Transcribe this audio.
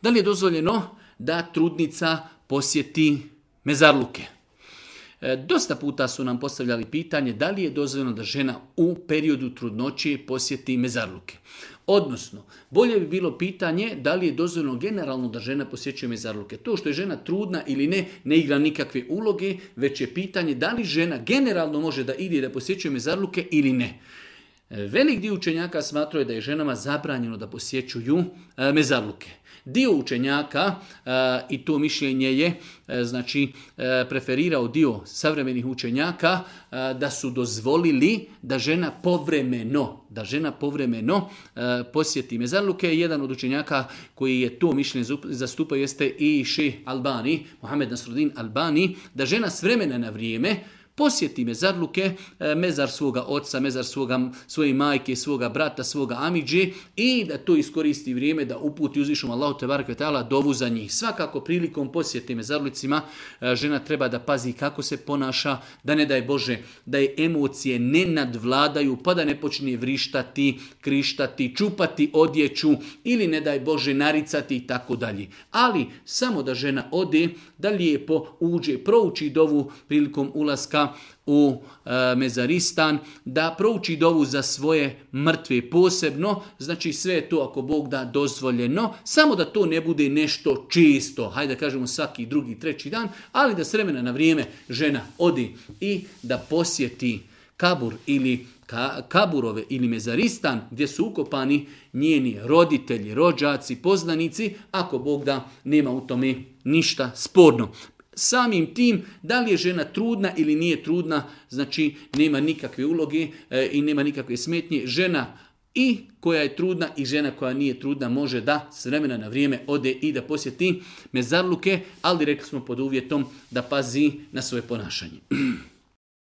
Da li je dozvoljeno da trudnica posjeti mezarluke? Dosta puta su nam postavljali pitanje da li je dozvoljeno da žena u periodu trudnoće posjeti mezarluke. Odnosno, bolje bi bilo pitanje da li je dozvoljeno generalno da žena posjećuje mezarluke. To što je žena trudna ili ne igra nikakve uloge, već je pitanje da li žena generalno može da ide da posjećuje mezarluke ili ne. Velik dio učenjaka smatraju da je ženama zabranjeno da posjećuju mezarluke. Dio učenjaka, i to mišljenje je preferirao dio savremenih učenjaka, da su dozvolili da žena povremeno posjeti mezarluke. Jedan od učenjaka koji je to mišljenje zastupao jeste i šejh Albani, Mohamed Nasruddin Albani, da žena s vremena na vrijeme posjeti mezarluke, mezar svoga oca, mezar svoje majke, svoga brata, svoga amidže i da to iskoristi vrijeme da uputi uzvišenom Allahu tebareke ve taala dovu za njih. Svakako prilikom posjete mezarlucima žena treba da pazi kako se ponaša, da ne daj Bože da je emocije ne nadvladaju, pa da ne počne vrištati, krištati, čupati odjeću ili ne daj Bože naricati i tako dalje. Ali samo da žena ode, da lijepo uđe, prouči dovu prilikom ulaska u mezaristan, da prouči dovu za svoje mrtve posebno, znači sve je to ako Bog da dozvoljeno, samo da to ne bude nešto čisto, hajde da kažemo svaki drugi, treći dan, ali da s vremena na vrijeme žena odi i da posjeti kabur ili kaburove ili mezaristan gdje su ukopani njeni roditelji, rođaci, poznanici, ako Bog da nema u tome ništa sporno. Samim tim, da li je žena trudna ili nije trudna, znači nema nikakve uloge i nema nikakve smetnje. Žena i koja je trudna i žena koja nije trudna može da s vremena na vrijeme ode i da posjeti mezarluke, ali rekli smo pod uvjetom da pazi na svoje ponašanje.